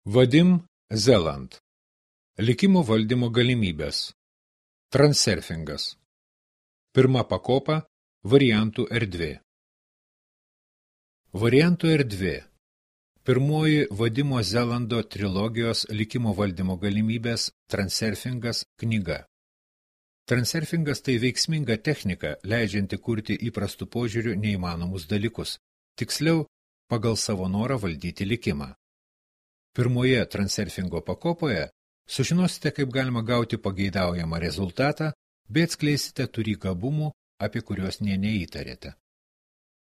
Vadim Zeland. Likimo valdymo galimybės. Transurfingas. Pirma pakopa – variantų erdvė. Variantų erdvė. Pirmoji Vadimo Zelando trilogijos likimo valdymo galimybės Transurfingas knyga. Transurfingas tai veiksminga technika, leidžianti kurti įprastų požiūrių neįmanomus dalykus, tiksliau, pagal savo norą valdyti likimą. Pirmoje transurfingo pakopoje sužinosite, kaip galima gauti pageidaujamą rezultatą, bei atskleisite turį gabumų, apie kuriuos nė neįtarėte.